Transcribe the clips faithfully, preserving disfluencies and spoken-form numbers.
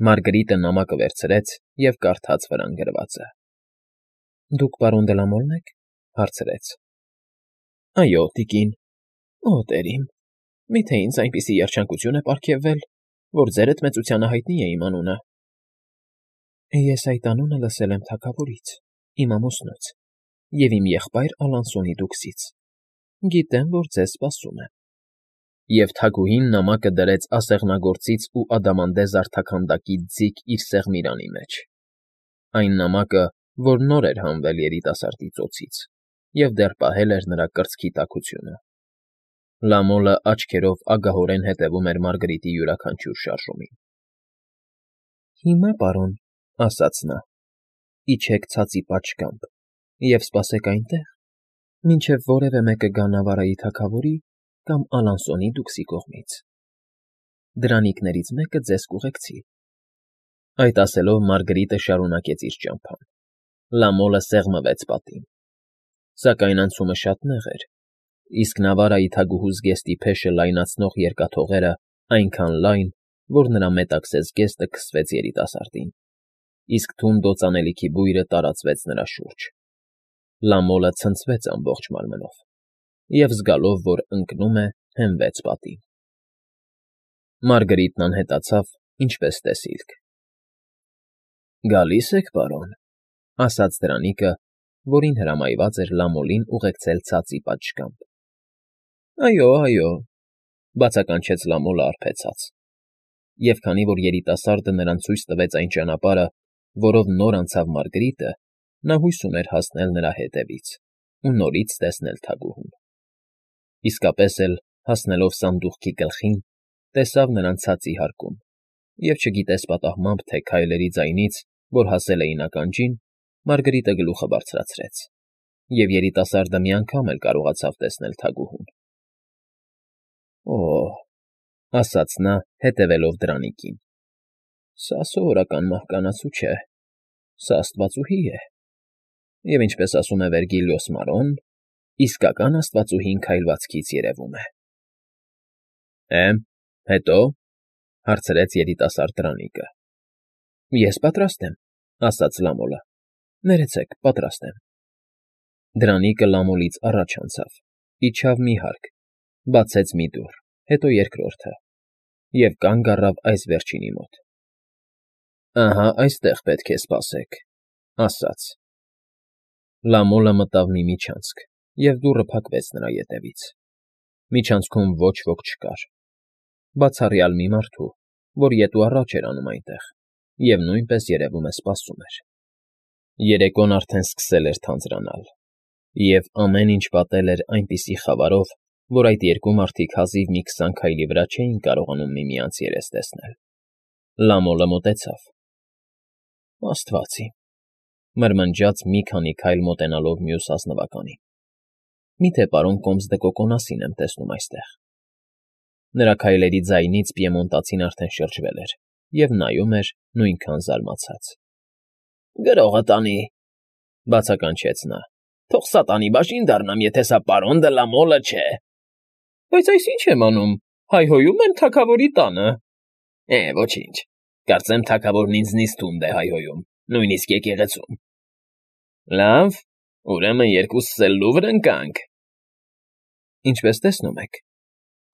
Մարգրիտը նամակը վերցրեց և կարդաց վրան գրվածը։ ֊ Դուք պարոն Դե Լա Մորն եք,֊ հարցրեց։ ֊ Այո, տիկին։ ֊ Օ, տեր իմ, մի՞թե ինձ այնպիսի երջանկություն է պարգևվել, որ ձերդ մեծությանը հայտնի է իմ անունը։ ֊ Ես այդ անունը լսել եմ թագավորից, իմ ամուսնուց և իմ եղբայր Ալանսոնի դուքսից. գիտեմ, որ ձեզ սպասում եմ։ Եվ թագուհին նամակը դրեց ասեղնագործից ու ադամանդե զարդաքանդակի ձիգ իր սեղմիրանի մեջ, այն նամակը, որ նոր էր հանվել երիտասարդի ծոցից և դեռ պահել էր նրա կրծքի տաքությունը։ Լամոլը աչքերով ագահորեն հետևում էր Մարգրիտի յուրաքանչյուր շարժումին։ ֊ Հիմա, պարոն,֊ ասաց նա,֊ իջեք ցածի պատշգամբ և սպասեք այնտեղ, մինչև որևէ մեկը գա Նավարայի թագավորի կամ Ալանսոնի դուքսի կողմից։ Դրանիքներից մեկը ձեզ կուղեկցի։ Այդ ասելով Մարգրիտը շարունակեց իր ճամփան։ Լամոլը սեղմվեց պատին։ Սակայն անցումը շատ նեղ էր, իսկ Նավարայի թագուհու զգեստի փեշը լայնացնող երկաթողերը այնքան լայն, որ նրա մետաքսես զգեստը քսվեց երիտասարդին, իսկ թունդ օծանելիքի բույրը տարածվեց նրա շուրջ։ Լամոլը ցնցվեց ամբողջ մարմնով և, զգալով, որ ընկնում է, հենվեց պատին։ Մարգրիտն անհետացավ, ինչպես տեսիլք։ ֊ Գալի՞ս եք, պարոն,֊ ասաց դրանիկը, որին հրամայված էր Լամոլին ուղեկցել ցածի պատշգամբ։ ֊ Այո, այո,֊ բացականչեց Լամոլը արբեցած։ Եվ քանի որ երիտասարդը նրան ցույց տվեց այն ճանապարհը, որով նոր անցավ Մարգրիտը, նա հույս ուներ հասնել նրա հետևից ու նորից տեսնել թագուհուն։ Իսկապես էլ, հասնելով սանդուղքի գլխին, տեսավ նրան ցածի հարկում և չգիտես պատահմամբ, թե քայլերի ձայնից, որ հասել էին ականջին, Մարգրիտը գլուխը բարձրացրեց, և երիտասարդը մի անգամ էլ կարողացավ տեսնել թագուհուն։ «Օ՜հ,֊ ասաց նա, հետևելով դրանիկին,֊ սա սովորական մահկանացու չէ, սա աստվածուհի է, և, ինչպես ասում է Վերգիլիոս Մարոն, իսկական աստվածուհին քայլվածքից երևում է»։ ֊ Է՞, հետո,֊ հարցրեց երիտասարդ դրանիկը։ ֊ Ես պատրաստ եմ,֊ ասաց Լամոլը։ Ներեցեք, պատրաստ եմ։ Դրանիկը Լամոլից առաջ անցավ, իջավ մի հարկ, բացեց մի դուռ, հետո երկրորդը, և կանգ առավ այս վերջինի մոտ։ ֊ Ահա այստեղ պետք է սպասեք,֊ ասաց։ Լամոլը մտավ մի միջանցք, և դուռը փակվեց նրա ետևից։ Միջանցքում ոչ ոք չկար, բացառյալ մի մարդու, որ ետ ու առաջ էր անում այնտեղ և նույնպես, երևում է, սպասում էր։ Երեկոն արդեն սկսել էր թանձրանալ, և ամեն ինչ պատել էր այնպիսի խավարով, որ այդ երկու մարդիկ հազիվ մի քսան քայլի վրա չէին կարողանում միմյանց երես տեսնել։ Լամոլը մոտեցավ։ ֊ Աստված իմ,֊ մրմնջաց մի քանի քայլ մոտենալով մյուս ազնվականին,֊ մի՞թե պարոն Կոմս դը Կոկոնասին եմ տեսնում այստեղ։ Նրա քայլերի ձայնից պիեմոնտացին արդեն շրջվել էր և նայում էր նույնքան զարմացած։ ֊ Գրողը տանի,֊ բացականչեց նա,֊ թող սատանի բաժին դառնամ, եթե սա պարոն Դը Լա Մոլը չէ։ ֊ Բայց այս ի՞նչ եմ անում, հայհոյում եմ թագավորի տանը։ ֊ Է, ոչինչ, կարծեմ թագավորն ինձնից թունդ է հայհոյում, նույնիսկ եկեղեցում։ ֊ Լավ, ուրեմն երկուսս էլ լուռ ընկանք։ ֊ Ինչպես տեսնում եք,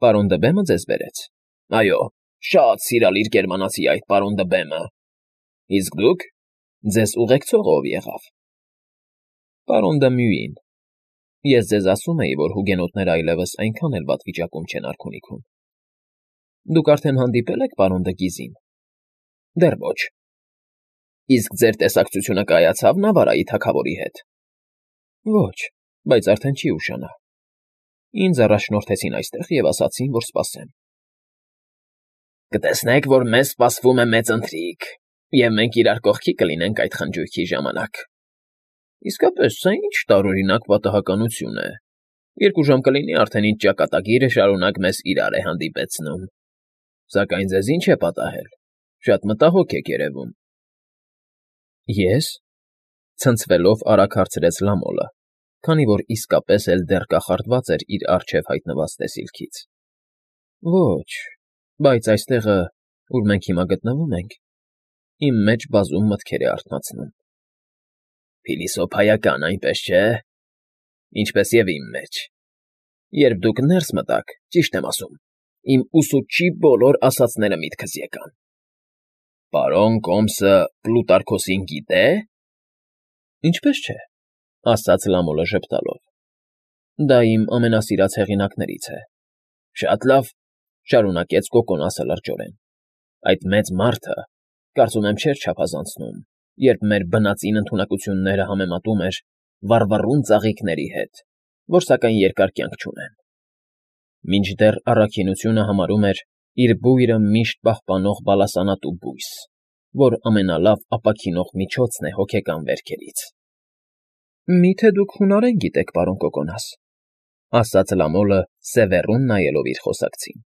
պարոն Դըբեմը ձեզ բերեց։ ֊ Այո, շատ սիրալիր գերմանացի այդ պարոն Դըբեմը։ ֊ Իսկ դուք, ձեզ ուղեկցողը ո՞վ եղավ։ ֊ Պարոն Դը Մյուին։ Ես ձեզ ասում էի, որ հուգենոտները այլևս այնքան էլ վատ վիճակում չեն արքունիքում։ Դուք արդեն հանդիպե՞լ եք պարոն Դը Գիզին։ ֊ Դեռ ոչ։ ֊ Իսկ ձեր տեսակցությունը կայացա՞վ Նավարայի թագավորի հետ։ ֊ Ոչ, բայց արդեն չի ուշանա։ Ինձ առաջնորդեցին այստեղ և ասացին, որ սպասեմ։ ֊ Կտեսնեք, որ մեզ սպասվում է մեծ ընթրիք, և մենք իրար կողքի կլինենք այդ խնջույքի ժամանակ։ ֊ Իսկապես, սա ինչ տարօրինակ պատահականություն է. երկու ժամ կլինի արդեն, ինչ ճակատագիրը շարունակ մեզ իրար է հանդիպեցնում։ Սակայն ձեզ ի՞նչ է պատահել, շատ մտահոգ եք երևում։ ֊ Ե՞ս,֊ ցնցվելով արագ հարցրեց Լամոլը, քանի որ իսկապես էլ դեռ կախարդված էր իր առջև հայտնված տեսիլքից։ ֊ Ոչ, բայց այստեղը, ուր մենք հիմա գտնվում ենք, Իմ մեջ բազում մտքեր է արթնացնում։ Փիլիսոփայական, այնպես չէ՞։ Ինչպես և իմ մեջ։ Երբ դուք ներս մտաք, ճիշտ եմ ասում, իմ ուսուցչի բոլոր ասածները միտքս եկան։ Պարոն Կոմսը Պլուտարքոսին գիտե՞։ Ինչպես չէ, ասաց Լամոլը ժպտալով։ Դա իմ ամենասիրած հեղինակներից է։ Շատ լավ, շարունակեց Կոկոնասը լրջորեն։ Այդ մեծ մարդը, կարծում եմ, չէր չափազանցնում, երբ մեր բնածին ընդունակությունները համեմատում էր վառվռուն ծաղիկների հետ, որ սակայն երկար կյանք չունեն։ Մինչդեռ առաքինությունը համարում էր իր բույրը միշտ պահպանող բալասանատու բույս, որ ամենալավ ապաքինող միջոցն է հոգեկան վերքերից։ Մի՞թե դուք հունարեն գիտեք, պարոն Կոկոնաս, ասաց Լամոլը սևեռուն նայելով իր խոսակցին։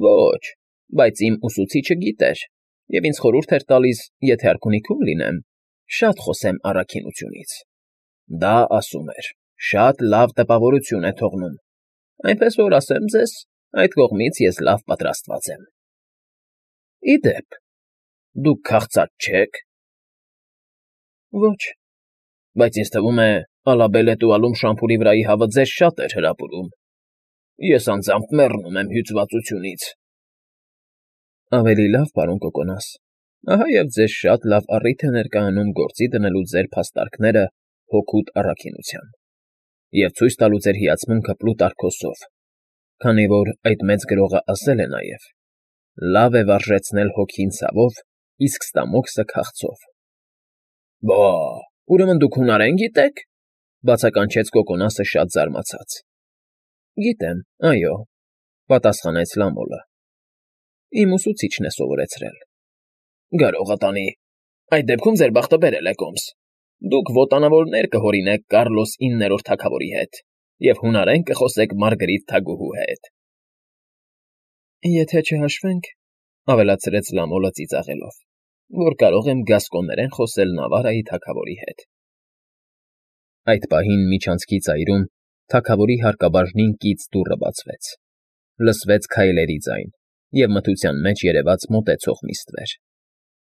Ոչ, բայց իմ ուսուցիչը գիտեր, և ինձ խորհուրդ էր տալիս, եթե արքունիքում լինեմ, շատ խոսեմ առաքինությունից։ Դա, ասում էր, շատ լավ տպավորություն է թողնում, այնպես որ, ասեմ ձեզ, այդ կողմից ես լավ պատրաստված եմ։ Ի դեպ, դուք քաղցած չե՞ք։ Ոչ, բայց ինձ թվում է, Ալաբել Էտուալում շամփուրի վրայի հավը ձեզ շատ էր հրապուրում։ Ես անձամբ մեռնում եմ հյուծվածությունից։ Ավելի լավ, պարոն Կոկոնաս, ահա և ձեզ շատ լավ առիթ է ներկայանում գործի դնելու ձեր փաստարկները հօգուտ առաքինության և ցույց տալու ձեր հիացմունքը Պլուտարքոսով, քանի որ այդ մեծ գրողը ասել է նաև. «Լավ է վարժեցնել հոգին ցավով, իսկ ստամոքսը քաղցով»։ Բա, ուրեմն դուք հունարեն գիտեք,֊ բացականչեց Կոկոնասը շատ զարմացած։ Գիտեմ, այո,֊ պատասխանեց Լամոլը։ Իմ ուսուցիչն է սովորեցրել։ Գարողատանի, այդ դեպքում ձեր բախտը բերել է, Կոմս։ Դուք ոտանավորներ կհորինեք Կառլոս իններորդ թագավորի հետ և հունարեն կխոսեք Մարգարիտ թագուհու հետ։ Եթե չհաշվենք,֊ ավելացրեց Լամոլը ծիծաղելով, որ կարող եմ գասկոներեն խոսել Նավարայի թագավորի հետ։ Այդ պահին միջանցքի ծայրում թագավորի հարկաբաժնին կից դուռը բացվեց, լսվեց քայլերի ձայն և մթության մեջ երևաց մոտեցող մի ստվեր։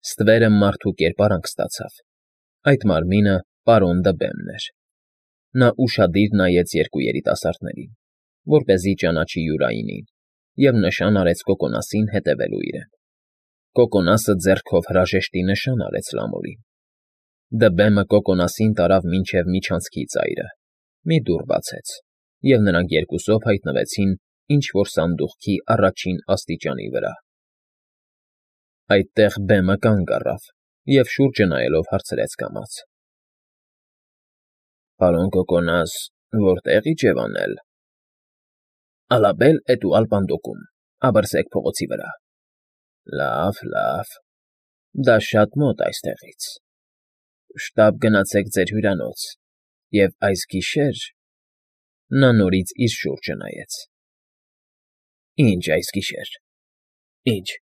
Ստվերը մարդու կերպարանք ստացավ, այդ մարմինը պարոն Դըբեմն էր։ Նա ուշադիր նայեց երկու երիտասարդներին, որպեսզի ճանաչի Յուրայինին, և նշան արեց Կոկոնասին հետևելու իրեն։ Կոկոնասը ձեռքով հրաժեշտի նշան արեց Լամոլին։ Դըբեմը Կոկոնասին տարավ մինչև միջանցքի ծայրը, մի դուռ բացեց, և նրանք երկուսով հայտնվեցին ինչ֊որ սանդուղքի առաջին աստիճանի վրա։ Այդտեղ բեմը կանգ առավ և շուրջը նայելով հարցրեց կամաց. Պարոն Կոկոնաս, որտե՞ղ իջևանել։ Ալաբել Էտուալ պանդոկում, Աբըրսեք փողոցի վրա։ Լավ, լավ, դա շատ մոտ այստեղից։ Շտապ գնացեք ձեր հյուրանոց, և այս գիշեր… Նա նորից իր շուրջը նայեց։ Ինչ այս գիշեր, ինչ,֊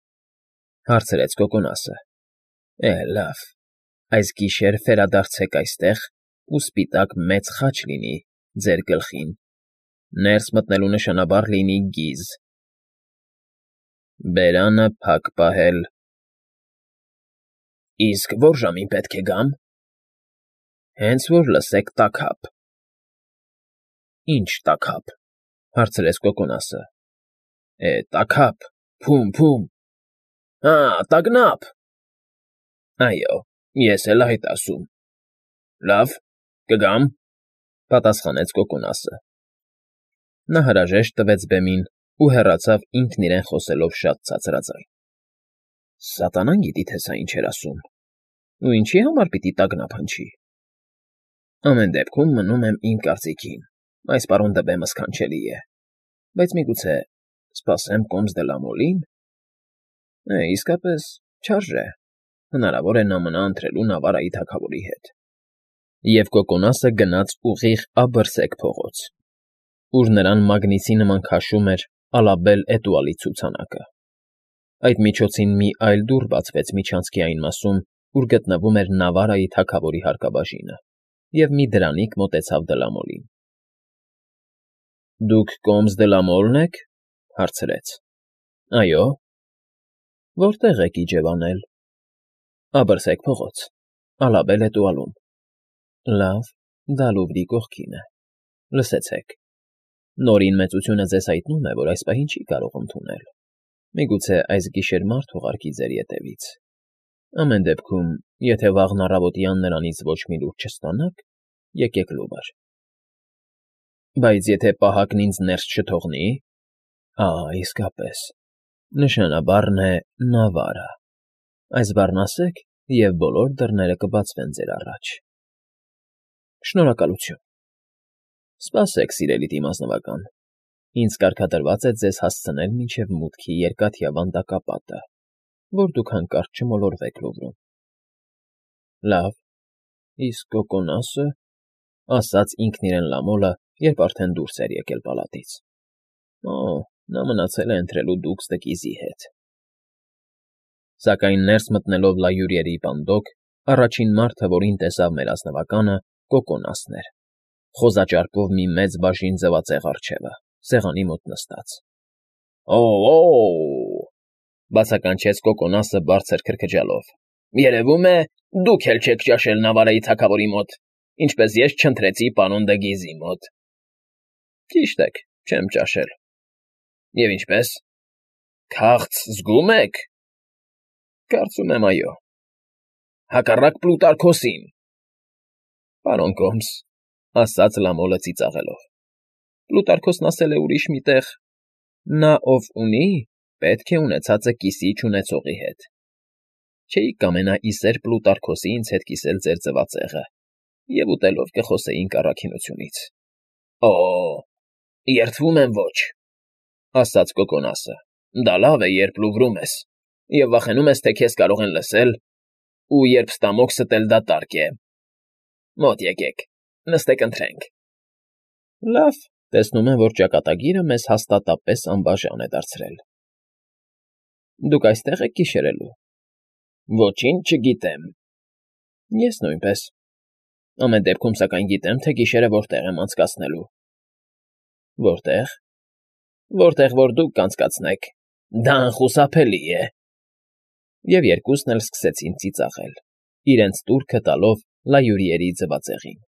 հարցրեց Կոկոնասը։ Է, լավ, այս գիշեր վերադարձեք այստեղ ու սպիտակ մեծ խաչ լինի ձեր գլխին, ներս մտնելու նշանաբար լինի գիզ, բերանը փակ պահել։ Իսկ ո՞ր ժամին պետք է գամ։ Հենց որ լսեք տաքափ։ Ինչ տաքափ, հարցրեց Կոկոնասը։ Է, տաքափ, փում, փում։ Հա, տագնապ։ Այո, ես էլ այդ ասում։ Լավ, կգամ,֊ պատասխանեց Կոկոնասը։ Նա հրաժեշտ տվեց բեմին ու հեռացավ ինքն իրեն խոսելով շատ ցածրաձայն։ Սատանան գիտի, թե սա ինչ էր ասում, ու ինչի համար պիտի տագնապ հնչի։ Ամեն դեպքում մնում եմ իմ կարծիքին, այս պարոն Դըբեմը սքանչելի է, բայց միգուցե սպասեմ Կոմս դը Լամոլին։ Է, իսկապես, չարժե, հնարավոր է նա մնա ընթրելու Նավարայի թագավորի հետ։ Եվ Կոկոնասը գնաց ուղիղ Աբըրսեք փողոց, ուր նրան մագնիսի նման քաշում էր Ալաբել Էտուալի ցուցանակը։ Այդ միջոցին մի այլ դուռ բացվեց միջանցքի այն մասում, ուր գտնվում էր Նավարայի թագավորի հարկաբաժինը, և մի դրանիկ մոտեցավ Դլամոլին։ Դուք Կոմս դը Լամոլն եք,֊ հարցրեց։ Այո։ Որտե՞ղ եք իջևանել։ Աբրսեք փողոց, ալաբել է տուալում։ Լավ, դա Լուվրի կողքին է։ Լսեցեք։ Նորին մեծությունը ձեզ հայտնում է, որ այս պահին չի կարող ընդունել։ Միգուցե այս գիշեր մարդ ուղարկի ձեր ետևից։ Ամեն դեպքում, եթե վաղն առավոտյան նրանից ոչ մի լուր չստանաք, եկեք Լուվր։ Բայց եթե պահակն ինձ ներս չթողնի… Ա, իսկապես, նշանաբառն է Նավարա։ Այս բառն ասեք, և բոլոր դռները կբացվեն ձեր առաջ։ Շնորհակալություն։ Սպասեք, սիրելի դիմազնվական, ինձ կարգադրված է ձեզ հասցնել մինչև մուտքի երկաթյա վանդակապատը, որ դուք հանկարծ չմոլորվեք Լուվրում։ Լավ, իսկ Կոկոնասը,֊ ասաց ինքն իրեն Լամոլը, երբ արդեն դուրս էր եկել պալատից։ Օ, նա մնացել է ընթրելու Դուքս-Տկիզի հետ։ Սակայն ներս մտնելով լայուրերի պանդոկ, առաջին մարդը, որին տեսավ մեր ազնվականը, Կոկոնասն էր, խոզաճարպով մի մեծ բաժին ձվածեղ առջևը, սեղանի մոտ նստած։ Օ՜օ,֊ բացականչեց Կոկոնասը բարձր քրքջալով։ Երևում է, դուք էլ չեք ճաշել Նավարայի թագավորի մոտ, ինչպես ես չընթրեցի պարոն Դը Գիզի մոտ։ Ճիշտ եք, չեմ ճաշել։ Եվ ինչպե՞ս։ Քաղց զգո՞ւմ եք։ Կարծում եմ, այո։ Հակառակ Պլուտարկոսին։ Պարոն Կոմս,֊ ասաց Լամոլը ծիծաղելով։ Պլուտարկոսն ասել է ուրիշ մի տեղ. նա, ով ունի, պետք է ունեցածը կիսի չունեցողի հետ։ Չէիք կամենա ի սեր Պլուտարկոսի ինձ հետ կիսել ձեր ձվածեղը, և ուտելով կխոսեինք առաքինությունից։ Օ՜, երդվում եմ ոչ,֊ ասաց Կոկոնասը։ Դա լավ է, երբ Լուվրում ես, և վախենում ես, թե քեզ կարող են լսել, ու երբ ստամոքսդ էլ դատարկ է։ Մոտ եկեք, նստեք ընթրենք։ Լավ, տեսնում եմ, որ ճակատագիրը մեզ հաստատապես անբաժան է դարձրել։ Դուք այստեղ եք գիշերելու։ Ոչինչ չգիտեմ։ Ես նույնպես։ Ամեն դեպքում, սակայն գիտեմ, թե գիշերը որտեղ եմ անցկացնելու։ Որտե՞ղ։ Որտեղ որ դուք կանցկացնեք։ Դա անխուսափելի է։ Եվ երկուսն էլ սկսեցին ծիծաղել, իրենց տուրքը տալով լայուրիերի ձվածեղին։